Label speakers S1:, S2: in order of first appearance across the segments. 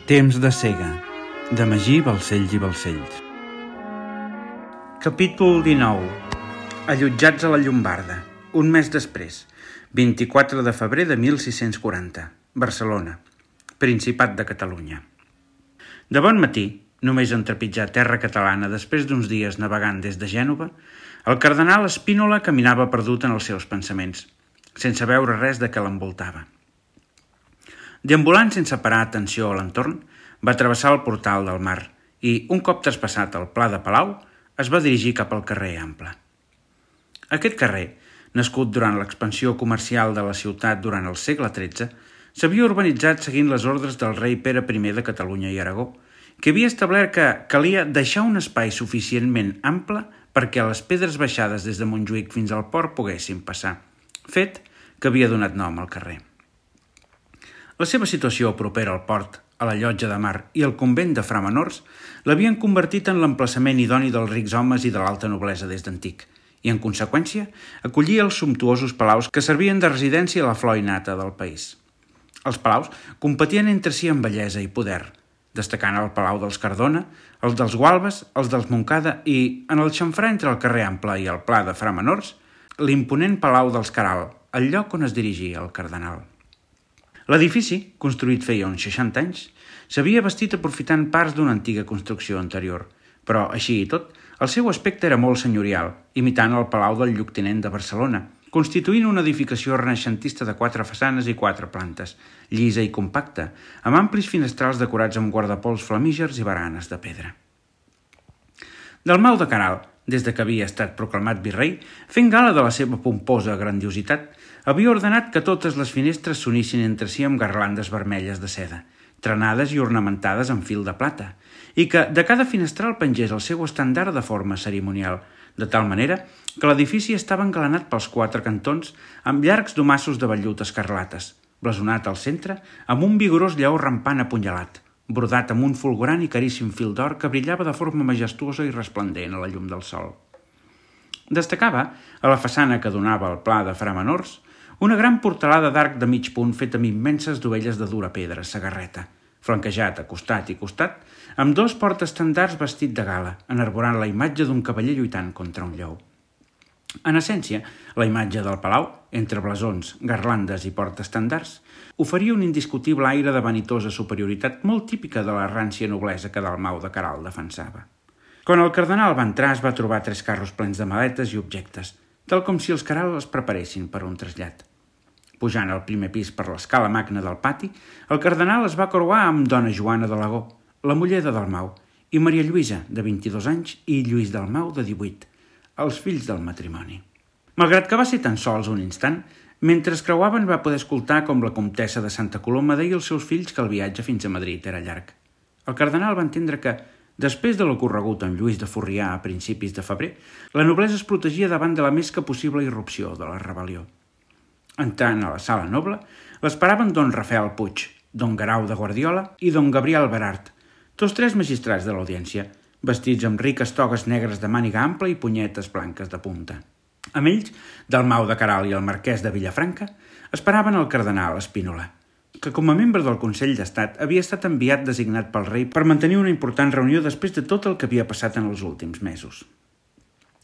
S1: Temps de cega, de Magí Balcells i Balcells. Capítol 19. Allotjats a la Llombarda. Un mes després, 24 de febrer de 1640, Barcelona, Principat de Catalunya. De bon matí, només en trepitjar terra catalana després d'uns dies navegant des de Gènova, el cardenal Spínola caminava perdut en els seus pensaments, sense veure res de què l'envoltava. Deambulant sense parar atenció a l'entorn, va travessar el portal del mar i, un cop traspassat el Pla de Palau, es va dirigir cap al carrer Ample. Aquest carrer, nascut durant l'expansió comercial de la ciutat durant el segle XIII, s'havia urbanitzat seguint les ordres del rei Pere I de Catalunya i Aragó, que havia establert que calia deixar un espai suficientment ample perquè les pedres baixades des de Montjuïc fins al port poguessin passar, fet que havia donat nom al carrer. La seva situació propera al port, a la llotja de mar i al convent de Fra Menors l'havien convertit en l'emplaçament idoni dels rics homes i de l'alta noblesa des d'antic, i, en conseqüència, acollia els sumptuosos palaus que servien de residència a la flor innata del país. Els palaus competien entre si en bellesa i poder, destacant el Palau dels Cardona, els dels Gualbes, els dels Montcada i, en el xamfrà entre el carrer Ample i el Pla de Fra Menors, l'imponent Palau dels Caral, el lloc on es dirigia el cardenal. L'edifici, construït feia uns 60 anys, s'havia bastit aprofitant parts d'una antiga construcció anterior, però, així i tot, el seu aspecte era molt senyorial, imitant el Palau del Lloctinent de Barcelona, constituint una edificació renaixentista de 4 façanes i 4 plantes, llisa i compacta, amb amplis finestrals decorats amb guardapols flamígers i baranes de pedra. Dalmau de Queralt, des de que havia estat proclamat virrei, fent gala de la seva pomposa grandiositat, havia ordenat que totes les finestres s'unissin entre si amb garlandes vermelles de seda, trenades i ornamentades amb fil de plata, i que de cada finestral pengés el seu estàndard de forma cerimonial, de tal manera que l'edifici estava engalanat pels 4 cantons amb llargs domassos de vellut escarlates, blasonat al centre amb un vigorós lleó rampant apunyalat, brodat amb un fulgurant i caríssim fil d'or que brillava de forma majestuosa i resplendent a la llum del sol. Destacava, a la façana que donava al Pla de Fra Menors, una gran portalada d'arc de mig punt fet amb immenses dovelles de dura pedra, sagarreta, flanquejat a costat i costat, amb 2 portaestandards vestit de gala, enarborant la imatge d'un cavaller lluitant contra un lleó. En essència, la imatge del palau, entre blasons, garlandes i portaestandards, oferia un indiscutible aire de vanitosa superioritat molt típica de la rància noblesa que Dalmau de Queralt defensava. Quan el cardenal va entrar es va trobar 3 carros plens de maletes i objectes, tal com si els Queralt es preparessin per un trasllat. Pujant al primer pis per l'escala magna del pati, el cardenal es va creuar amb dona Joana de l'Agó, la muller de Dalmau, i Maria Lluïsa, de 22 anys, i Lluís Dalmau, de 18, els fills del matrimoni. Malgrat que va ser tan sols un instant, mentre es creuaven va poder escoltar com la comtessa de Santa Coloma deia als seus fills que el viatge fins a Madrid era llarg. El cardenal va entendre que, després de l'ocorregut amb Lluís de Forrià a principis de febrer, la noblesa es protegia davant de la més que possible irrupció de la rebel·lió. Entrant a la sala noble, l'esperaven don Rafael Puig, don Guerau de Guardiola i don Gabriel Berart, tots 3 magistrats de l'audiència, vestits amb riques togues negres de màniga ampla i punyetes blanques de punta. Amb ells, Dalmau de Queralt i el marquès de Vilafranca esperaven el cardenal Spínola, que com a membre del Consell d'Estat havia estat enviat designat pel rei per mantenir una important reunió després de tot el que havia passat en els últims mesos.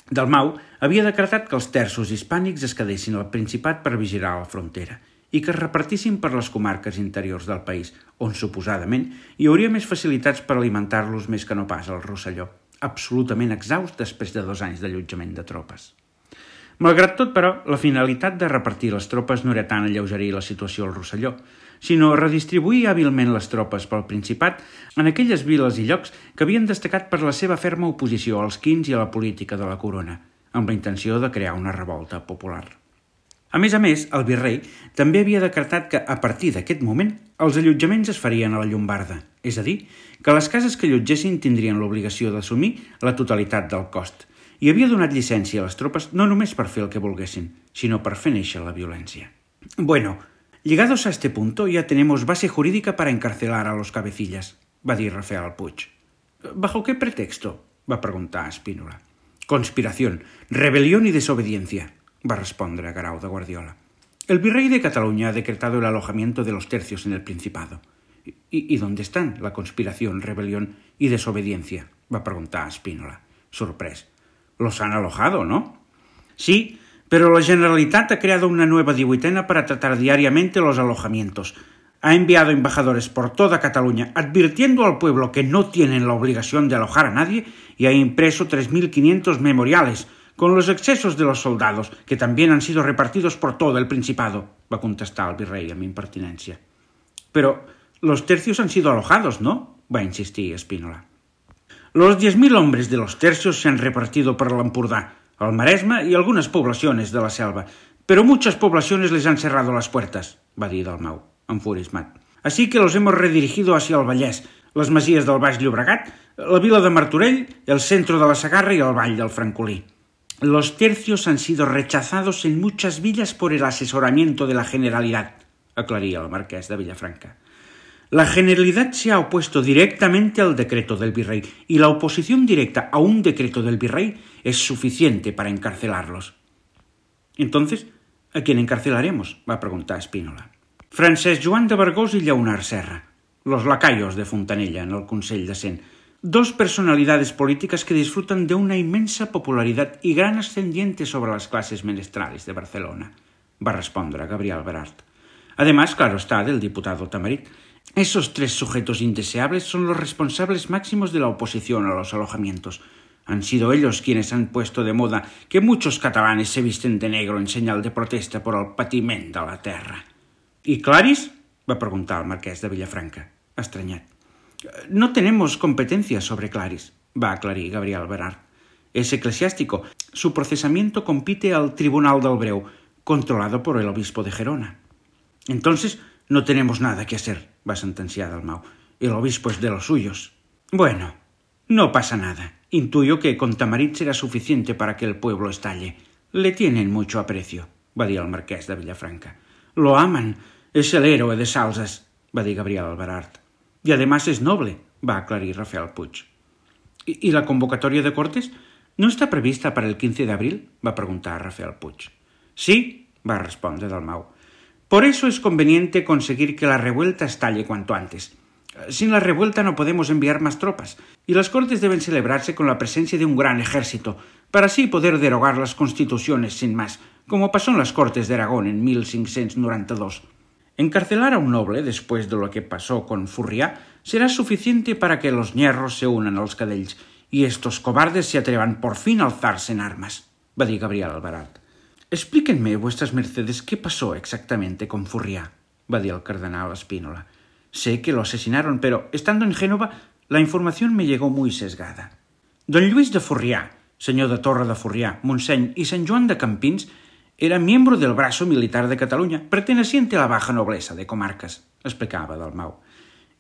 S1: Dalmau havia decretat que els terços hispànics es quedessin al Principat per vigilar la frontera i que es repartissin per les comarques interiors del país, on suposadament hi hauria més facilitats per alimentar-los més que no pas al Rosselló, absolutament exhaust després de 2 anys d'allotjament de tropes. Malgrat tot, però, la finalitat de repartir les tropes no era tant alleugerir la situació al Rosselló, sinó redistribuir hàbilment les tropes pel Principat en aquelles viles i llocs que havien destacat per la seva ferma oposició als quins i a la política de la corona, amb la intenció de crear una revolta popular. A més, el virrei també havia decretat que, a partir d'aquest moment, els allotjaments es farien a la Llombarda, és a dir, que les cases que allotgessin tindrien l'obligació d'assumir la totalitat del cost, i havia donat llicència a les tropes no només per fer el que volguessin, sinó per fer néixer la violència. Bueno, llegados a este punto ya tenemos base jurídica para encarcelar a los cabecillas, va dir Rafael Puig. ¿Bajo qué pretexto?, va preguntar Spínola. Conspiración, rebelión y desobediencia, va respondre Guerau de Guardiola. El virrey de Cataluña ha decretado el alojamiento de los tercios en el Principado. ¿Y dónde están la conspiración, rebelión y desobediencia?, va a preguntar Spínola, sorprès. Los han alojado, ¿no? Sí, pero la Generalitat ha creado una nueva 18ª para tratar diariamente los alojamientos. Ha enviado embajadores por toda Cataluña advirtiendo al pueblo que no tienen la obligación de alojar a nadie y ha impreso 3.500 memoriales con los excesos de los soldados, que también han sido repartidos por todo el Principado, va contestar el virrey amb impertinència. Pero los tercios han sido alojados, ¿no?, va insistir Spínola. Los 10.000 hombres de los tercios se han repartido por l'Empordà, el Maresme y algunas poblaciones de la selva, pero muchas poblaciones les han cerrado las puertas, va dir Dalmau, enfurismat. Así que los hemos redirigido hacia el Vallès, les masies del Baix Llobregat, la vila de Martorell, el centro de la Segarra y el Vall del Francolí. Los tercios han sido rechazados en muchas villas por el asesoramiento de la Generalidad, aclaría el marqués de Villafranca. La Generalidad se ha opuesto directamente al decreto del virrey y la oposición directa a un decreto del virrey es suficiente para encarcelarlos. Entonces, ¿a quién encarcelaremos?, va a preguntar Spínola. Francesc Joan de Vergós y Lleonard Serra, los lacayos de Fontanella en el Consell de Cent, dos personalidades políticas que disfrutan de una inmensa popularidad y gran ascendiente sobre las clases menestrales de Barcelona, va a respondre Gabriel Berart. Además, claro está, del diputado Tamarit. Esos tres sujetos indeseables son los responsables máximos de la oposición a los alojamientos. Han sido ellos quienes han puesto de moda que muchos catalanes se visten de negro en señal de protesta por el patiment de la terra. ¿Y Claris?, va a preguntar el marqués de Villafranca, estranyat. No tenemos competencia sobre Claris, va a aclarir Gabriel Berart. Es eclesiástico. Su procesamiento compite al Tribunal del Breu, controlado por el obispo de Gerona. Entonces, no tenemos nada que hacer, va a sentenciar Dalmau. El obispo es de los suyos. Bueno, no pasa nada. Intuyo que con Tamarit será suficiente para que el pueblo estalle. Le tienen mucho aprecio, va dir el marqués de Villafranca. Lo aman. Es el héroe de Salses, va dir Gabriel Berart. Y además es noble, va a aclarir Rafael Puig. ¿Y la convocatoria de Cortes no está prevista para el 15 de abril? Va a preguntar Rafael Puig. Sí, va a respondre Dalmau. Por eso es conveniente conseguir que la revuelta estalle cuanto antes. Sin la revuelta no podemos enviar más tropas, y las Cortes deben celebrarse con la presencia de un gran ejército, para así poder derogar las constituciones sin más, como pasó en las Cortes de Aragón en 1592. Encarcelar a un noble, después de lo que pasó con Furrià, será suficiente para que los ñerros se unan als cadells y estos cobardes se atrevan por fin a alzarse en armas, va dir Gabriel Berart. Explíquenme, vuestras mercedes, qué pasó exactamente con Furrià, va dir el cardenal Spínola. Sé que lo asesinaron, pero estando en Génova, la información me llegó muy sesgada. Don Lluís de Furrià, señor de Torre de Furrià, Montseny y San Joan de Campins, era miembro del brazo militar de Cataluña, perteneciente a la baja nobleza de comarcas, explicaba Dalmau.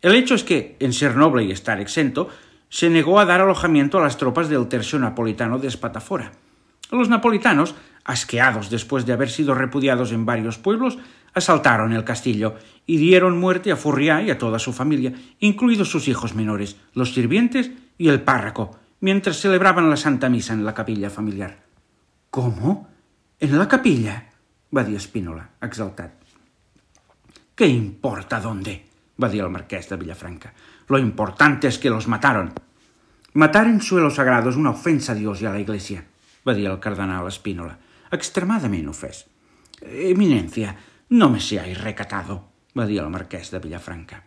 S1: El hecho es que, en ser noble y estar exento, se negó a dar alojamiento a las tropas del tercio napolitano de Espatafora. Los napolitanos, asqueados después de haber sido repudiados en varios pueblos, asaltaron el castillo y dieron muerte a Furrià y a toda su familia, incluidos sus hijos menores, los sirvientes y el párroco, mientras celebraban la Santa Misa en la capilla familiar. ¿Cómo? ¿En la capilla?, va dir Spínola, exaltat. ¿Qué importa dónde?, va dir el marqués de Villafranca. Lo importante es que los mataron. Matar en suelo sagrado es una ofensa a Dios y a la Iglesia, va dir el cardenal Spínola, extremadament ofès. Eminencia, no me seáis recatado, va dir el marqués de Villafranca.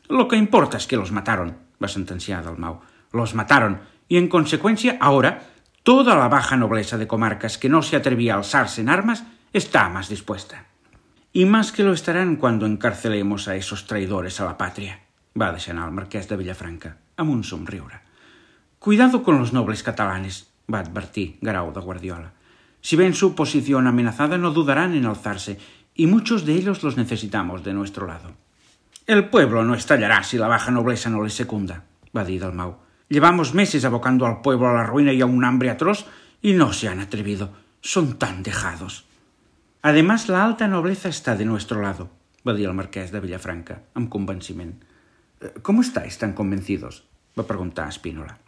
S1: Lo que importa es que los mataron, va sentenciar Dalmau. Los mataron, y en consecuencia, ahora, toda la baja nobleza de comarcas que no se atrevía a alzarse en armas está más dispuesta. Y más que lo estarán cuando encarcelemos a esos traidores a la patria, va a desanar el marqués de Villafranca, amb un somriure. Cuidado con los nobles catalanes, va advertir Garau de Guardiola. Si ven su posición amenazada no dudarán en alzarse, y muchos de ellos los necesitamos de nuestro lado. El pueblo no estallará si la baja nobleza no les secunda, va dir Dalmau. Llevamos meses abocando al pueblo a la ruina y a un hambre atroz y no se han atrevido. Son tan dejados. Además, la alta nobleza está de nuestro lado, va dir el marqués de Villafranca, amb convenciment. ¿Cómo estáis tan convencidos?, va preguntar Spínola.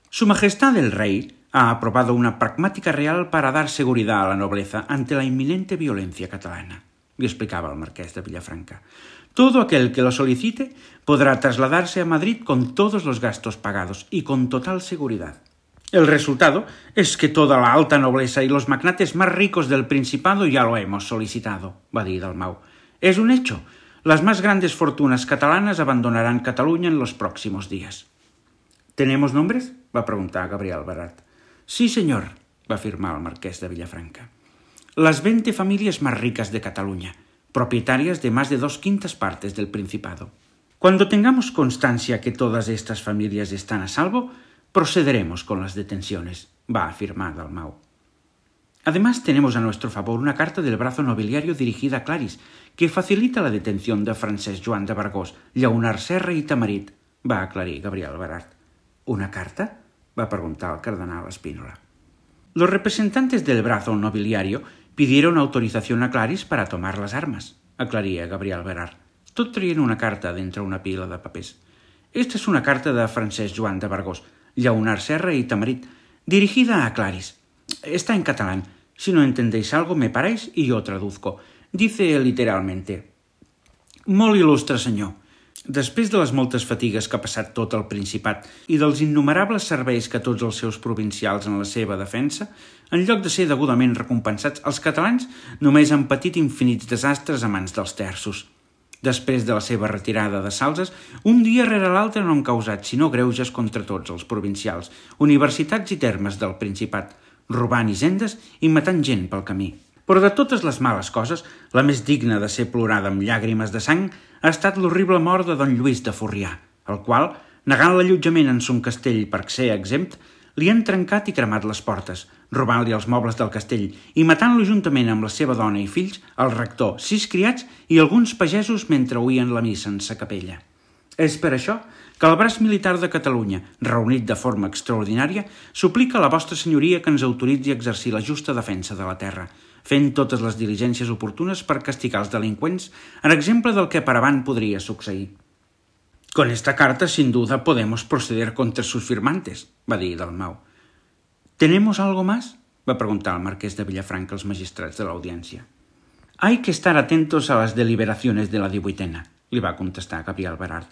S1: Su Majestad el Rey ha aprobado una pragmática real para dar seguridad a la nobleza ante la inminente violencia catalana, li explicava el marquès de Villafranca. Todo aquel que lo solicite podrá trasladarse a Madrid con todos los gastos pagados y con total seguridad. El resultado es que toda la alta nobleza y los magnates más ricos del Principado ya lo hemos solicitado, va dir Dalmau. Es un hecho. Las más grandes fortunas catalanas abandonarán Cataluña en los próximos días. ¿Tenemos nombres?, va preguntar Gabriel Barat. Sí, señor, va afirmar el marqués de Villafranca. Las 20 familias más ricas de Cataluña, propietarias de más de 2/5 partes del Principado. Cuando tengamos constancia que todas estas familias están a salvo, procederemos con las detenciones, va a afirmar Dalmau. Además, tenemos a nuestro favor una carta del brazo nobiliario dirigida a Claris, que facilita la detención de Francesc Joan de Vergós, Llaunar Serra y Tamarit, va aclarir Gabriel Barat. ¿Una carta?, va a preguntar el cardenal Spínola. Los representantes del brazo nobiliario pidieron autorización a Claris para tomar las armas, aclaría Gabriel Barat. Tot traient una carta d'entre una pila de papers. Esta es una carta de Francesc Joan de Vergós, Llaunar Serra y Tamarit, dirigida a Claris. Está en catalán. Si no entendéis algo, me paráis y yo traduzco. Dice literalmente: Molt il·lustre senyor, després de les moltes fatigues que ha passat tot el Principat i dels innumerables serveis que tots els seus provincials en la seva defensa, en lloc de ser degudament recompensats, els catalans només han patit infinits desastres a mans dels terços. Després de la seva retirada de Salses, un dia rere l'altre no han causat sinó greuges contra tots els provincials, universitats i termes del Principat, robant hisendes i matant gent pel camí. Però de totes les males coses, la més digna de ser plorada amb llàgrimes de sang ha estat l'horrible mort de don Lluís de Forrià, el qual, negant l'allotjament en son castell per ser exempt, li han trencat i cremat les portes, robant-li els mobles del castell i matant-lo juntament amb la seva dona i fills, el rector, 6 criats i alguns pagesos mentre oïen la missa en sa capella. És per això que el braç militar de Catalunya, reunit de forma extraordinària, suplica a la vostra senyoria que ens autoritzi a exercir la justa defensa de la terra, fent totes les diligències oportunes per castigar els delinqüents, en exemple del que per avant podria succeir. Con esta carta, sin duda, podemos proceder contra sus firmantes, va dir Dalmau. ¿Tenemos algo más?, va preguntar el marqués de Villafranca als magistrats de l'audiència. Hay que estar atentos a las deliberaciones de la 18ª, li va contestar Gabriel Barat.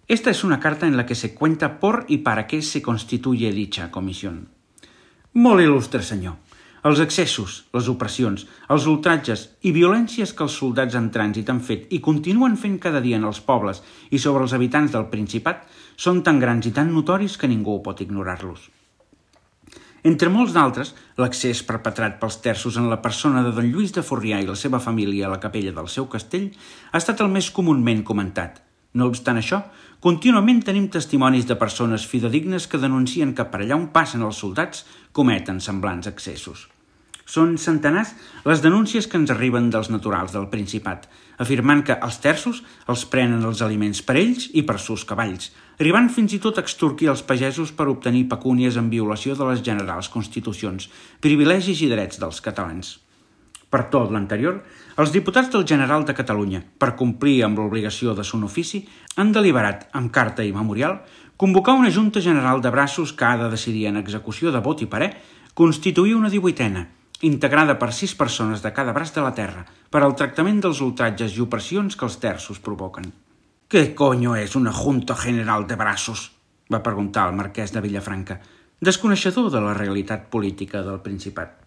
S1: Esta es una carta en la que se cuenta por y para qué se constituye dicha comisión. Molt il·lustre senyor. Els excessos, les opressions, els ultratges i violències que els soldats en trànsit han fet i continuen fent cada dia en els pobles i sobre els habitants del Principat són tan grans i tan notoris que ningú pot ignorar-los. Entre molts d'altres, l'accés perpetrat pels terços en la persona de don Lluís de Forrià i la seva família a la capella del seu castell ha estat el més comúment comentat. No obstant això, contínuament tenim testimonis de persones fidedignes que denuncien que per allà on passen els soldats cometen semblants excessos. Són centenars les denúncies que ens arriben dels naturals del Principat, afirmant que els terços els prenen els aliments per ells i per sus cavalls, arribant fins i tot a extorquir els pagesos per obtenir pecúnies en violació de les generals constitucions, privilegis i drets dels catalans. Per tot l'anterior, els diputats del General de Catalunya, per complir amb l'obligació de son ofici, han deliberat, amb carta i memorial, convocar una Junta General de Braços que ha de decidir en execució de vot i parer constituir una 18ª, integrada per 6 persones de cada braç de la terra, per al tractament dels ultratges i opressions que els terços provoquen. «¿Qué coño és una Junta General de Braços?», va preguntar el marquès de Villafranca, desconeixedor de la realitat política del Principat.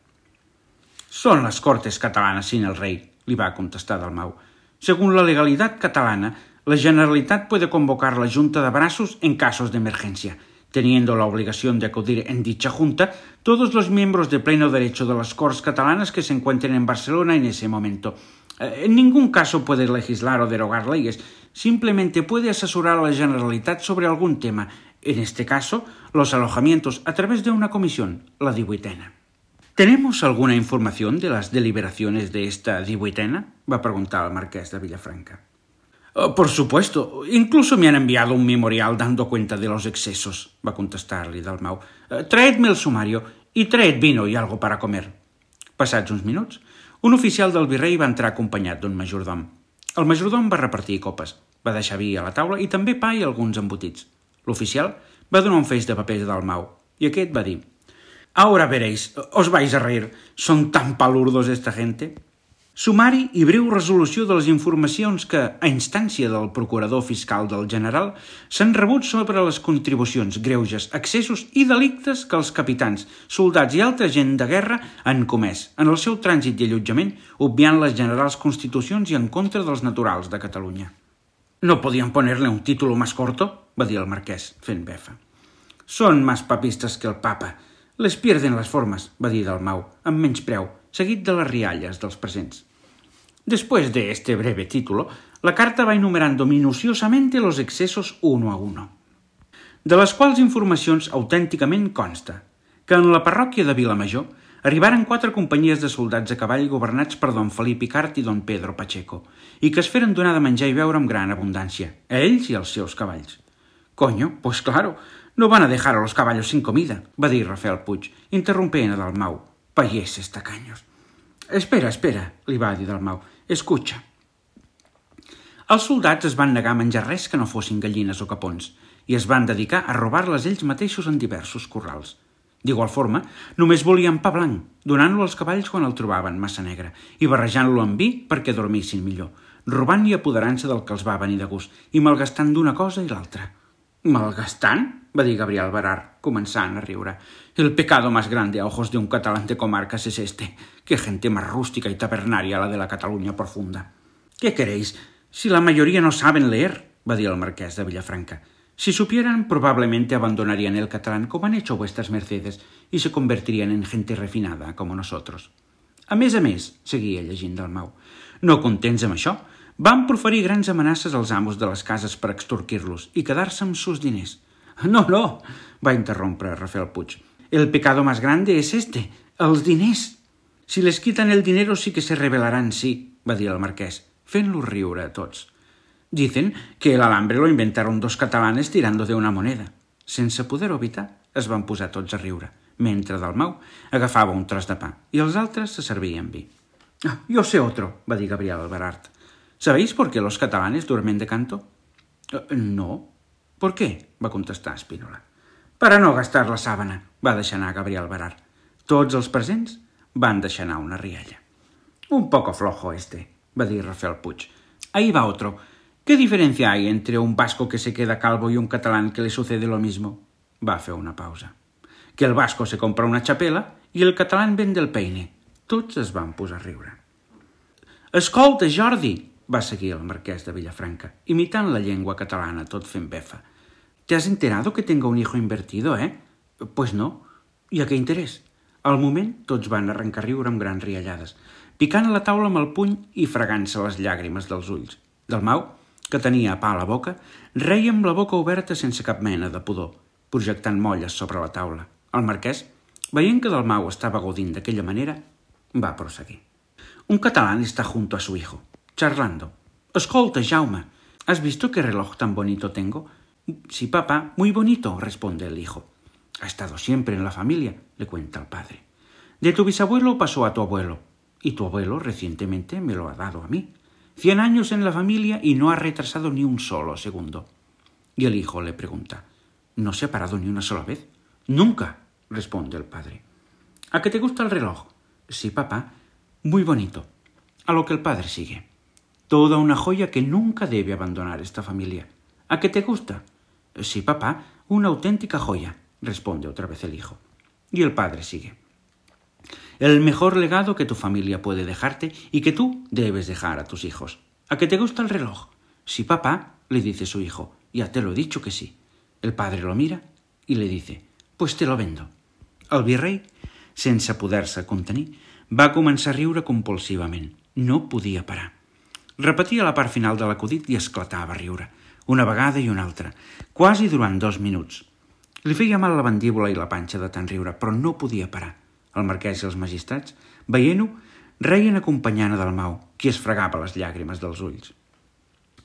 S1: «Son las Cortes catalanas sin el rey», li va contestar Dalmau. «Según la legalidad catalana, la Generalitat puede convocar la Junta de Braços en casos de emergencia, teniendo la obligación de acudir en dicha junta todos los miembros de pleno derecho de las Corts catalanas que se encuentren en Barcelona en ese momento. En ningún caso puede legislar o derogar leyes, simplemente puede asesorar a la Generalitat sobre algún tema, en este caso, los alojamientos a través de una comisión, la 18ª. ¿Tenemos alguna información de las deliberaciones de esta 18ª?, va a preguntar el marqués de Villafranca. Por supuesto, incluso me han enviado un memorial dando cuenta de los excesos, va a contestar-li Dalmau. Traedme el sumario y traed vino y algo para comer. Passats uns minuts, un oficial del virrei va entrar acompanyat d'un majordom. El majordom va repartir copes, va deixar vi a la taula i també pa i alguns embotits. L'oficial va donar un feix de papers a Dalmau i aquest va dir: «Ahora veréis, os vais a reír, son tan palurdos esta gente». Sumari i breu resolució de les informacions que, a instància del procurador fiscal del general, s'han rebut sobre les contribucions, greuges, excessos i delictes que els capitans, soldats i altra gent de guerra han comès en el seu trànsit i allotjament, obviant les generals constitucions i en contra dels naturals de Catalunya. «No podían ponerle un título más corto?», va dir el marquès, fent befa. «Són més papistes que el papa. Les pierden les formes», va dir Dalmau, amb menyspreu, seguit de les rialles dels presents. Después de este breve título, la carta va enumerando minuciosamente los excesos uno a uno, de les quals informacions autènticament consta que en la parròquia de Vilamajor arribaren 4 companyies de soldats a cavall governats per don Felip Icart i don Pedro Pacheco, i que es feren donar de menjar i beure amb gran abundància, a ells i als seus cavalls. «Coño, pues claro, no van a dejar a los caballos sin comida», va dir Rafael Puig, interrompent a Dalmau. «Payeses tacaños». «Espera, li va dir Dalmau. Escucha». Els soldats es van negar a menjar res que no fossin gallines o capons i es van dedicar a robar-les ells mateixos en diversos corrals. D'igual forma, només volien pa blanc, donant-lo als cavalls quan el trobaven massa negre i barrejant-lo amb vi perquè dormissin millor, robant i apoderant-se del que els va venir de gust i malgastant d'una cosa i l'altra. «¿Malgastant?», va dir Gabriel Barard, començant a riure. «El pecado más grande a ojos de un catalán de comarcas es este. Qué gente más rústica y tabernaria la de la Cataluña profunda». «¿Qué queréis? Si la mayoría no saben leer», va dir el marquès de Villafranca. «Si supieran, probablemente abandonarían el catalán como han hecho vuestras mercedes y se convertirían en gente refinada como nosotros». A més, seguia llegint Dalmau, no contents amb això, van proferir grans amenaces als amos de les cases per extorquir-los i quedar-se amb sus diners. «No», va interrompre Rafael Puig. «El pecado más grande es este, els diners. Si les quitan el dinero sí que se rebelarán, sí», va dir el marquès, fent-los riure a tots. «Dicen que el alambre lo inventaron 2 catalanes tirando de una moneda». Sense poder-ho evitar, es van posar tots a riure, mentre Dalmau agafava un tros de pa i els altres se servien vi. «Yo sé otro», va dir Gabriel Barard. «¿Sabéis por qué los catalanes duermen de canto?» «No». «¿Por qué?», va contestar Spínola. «Para no gastar la sábana», va deixar anar Gabriel Barard. Tots els presents van deixar anar una rialla. «Un poco flojo este», va dir Rafael Puig. «Ahí va otro. ¿Qué diferencia hay entre un vasco que se queda calvo y un catalán que le sucede lo mismo?» Va fer una pausa. «Que el vasco se compra una chapela y el catalán vende el peine». Tots es van posar a riure. «Escolta, Jordi», va seguir el marquès de Villafranca, imitant la llengua catalana, tot fent befa. «¿Te has enterado que tengo un hijo invertido, eh?» «Pues no. ¿Y a qué interés?» Al moment, tots van arrencar a riure amb grans riallades, picant a la taula amb el puny i fregant-se les llàgrimes dels ulls. Dalmau, que tenia pa a la boca, reia amb la boca oberta sense cap mena de pudor, projectant molles sobre la taula. El marquès, veient que Dalmau estava gaudint d'aquella manera, va proseguir. «Un catalán está junto a su hijo, charlando. Escolta, Jaume, ¿has visto qué reloj tan bonito tengo?» «Sí, papá, muy bonito», responde el hijo. «Ha estado siempre en la familia», le cuenta el padre. «De tu bisabuelo pasó a tu abuelo, y tu abuelo recientemente me lo ha dado a mí. 100 años en la familia y no ha retrasado ni un solo segundo». Y el hijo le pregunta, «¿No se ha parado ni una sola vez?» «Nunca», responde el padre. «¿A qué te gusta el reloj?» «Sí, papá, muy bonito». A lo que el padre sigue, «Toda una joya que nunca debe abandonar esta familia. ¿A qué te gusta?» «Sí, papá, una auténtica joya», responde otra vez el hijo. Y el padre sigue, «El mejor legado que tu familia puede dejarte y que tú debes dejar a tus hijos. ¿A qué te gusta el reloj?» «Sí, papá», le dice su hijo, «ya te lo he dicho que sí». El padre lo mira y le dice, «Pues te lo vendo». El virrei, sense poder-se contenir, va començar a riure compulsivament. No podia parar. Repetia la part final de l'acudit i esclatava a riure, una vegada i una altra, quasi durant 2 minuts. Li feia mal la mandíbula i la panxa de tant riure, però no podia parar. El marquès i els magistrats, veient-ho, reien acompanyant a Dalmau, qui es fregava les llàgrimes dels ulls.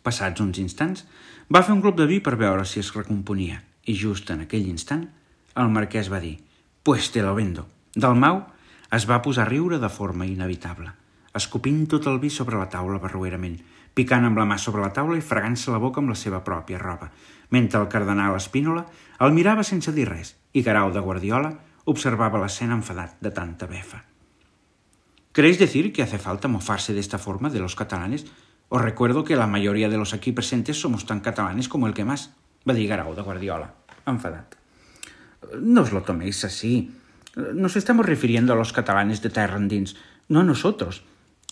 S1: Passats uns instants, va fer un glop de vi per veure si es recomponia, i just en aquell instant, el marquès va dir, «Pues te lo vendo». Dalmau es va posar a riure de forma inevitable, escopint tot el vi sobre la taula barroerament, picant amb la mà sobre la taula i fregant-se la boca amb la seva pròpia roba, mentre el cardenal Spínola el mirava sense dir res i Guerau de Guardiola observava l'escena enfadat de tanta befa. ¿Queréis decir que hace falta mofarse de esta forma de los catalanes? Os recuerdo que la mayoría de los aquí presentes somos tan catalanes como el que más, va dir Guerau de Guardiola, enfadat. No os lo toméis así. Nos estamos refiriendo a los catalanes de terra endins, no a nosotros.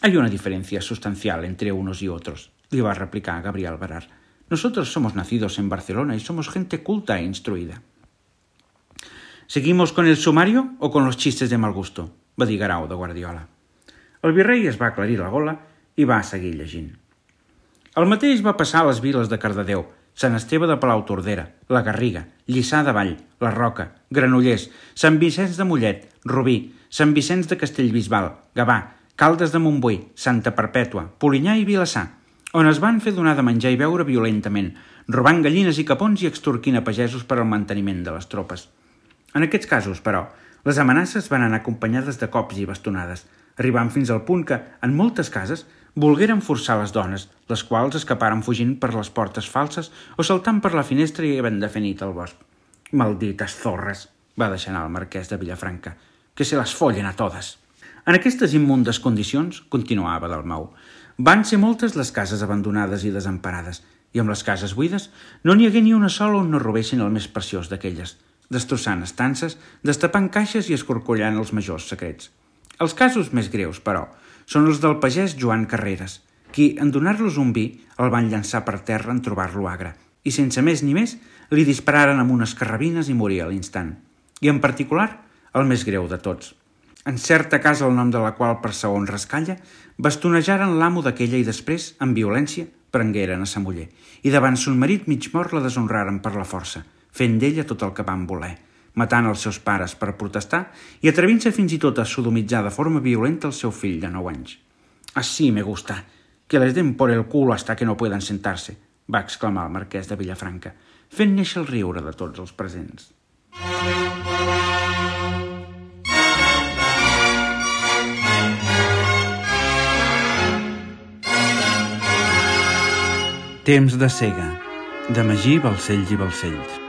S1: Hay una diferencia sustancial entre unos y otros, le va a replicar Gabriel Barar. Nosotros somos nacidos en Barcelona y somos gente culta e instruida. ¿Seguimos con el sumario o con los chistes de mal gusto? Va dir Guerau de Guardiola. El virrei es va aclarir la gola i va seguir llegint. El mateix va passar a les viles de Cardedeu, Sant Esteve de Palautordera, la Garriga, Lliçà de Vall, la Roca, Granollers, Sant Vicenç de Mollet, Rubí, Sant Vicenç de Castellbisbal, Gavà, Caldes de Montbui, Santa Perpètua, Polinyà i Vilassar, on es van fer donar de menjar i beure violentament, robant gallines i capons i extorquint a pagesos per al manteniment de les tropes. En aquests casos, però, les amenaces van anar acompanyades de cops i bastonades, arribant fins al punt que, en moltes cases, volgueren forçar les dones, les quals escaparen fugint per les portes falses o saltant per la finestra i havent de fer nit al bosc. «Maldites zorres», va deixar anar el marquès de Vilafranca, «que se les follen a totes». En aquestes immundes condicions, continuava Dalmau, van ser moltes les cases abandonades i desemparades, i amb les cases buides no n'hi hagué ni una sola on no robessin el més preciós d'aquelles, destrossant estances, destapant caixes i escorcollant els majors secrets. Els casos més greus, però, són els del pagès Joan Carreras, qui, en donar-los un vi, el van llançar per terra en trobar-lo agre, i sense més ni més, li dispararen amb unes carrabines i moria a l'instant. I en particular, el més greu de tots. En certa casa, el nom de la qual per segon rascalla, bastonejaren l'amo d'aquella i després, amb violència, prengueren a sa muller, i davant son marit mig mort la deshonraren per la força, fent d'ella tot el que van voler, matant els seus pares per protestar i atrevint-se fins i tot a sodomitzar de forma violenta el seu fill de 9 anys. «Así me gusta, que les den por el culo hasta que no puedan sentarse», va exclamar el marquès de Vilafranca, fent néixer el riure de tots els presents. Temps de cega, de Magí Balcells i Balcells.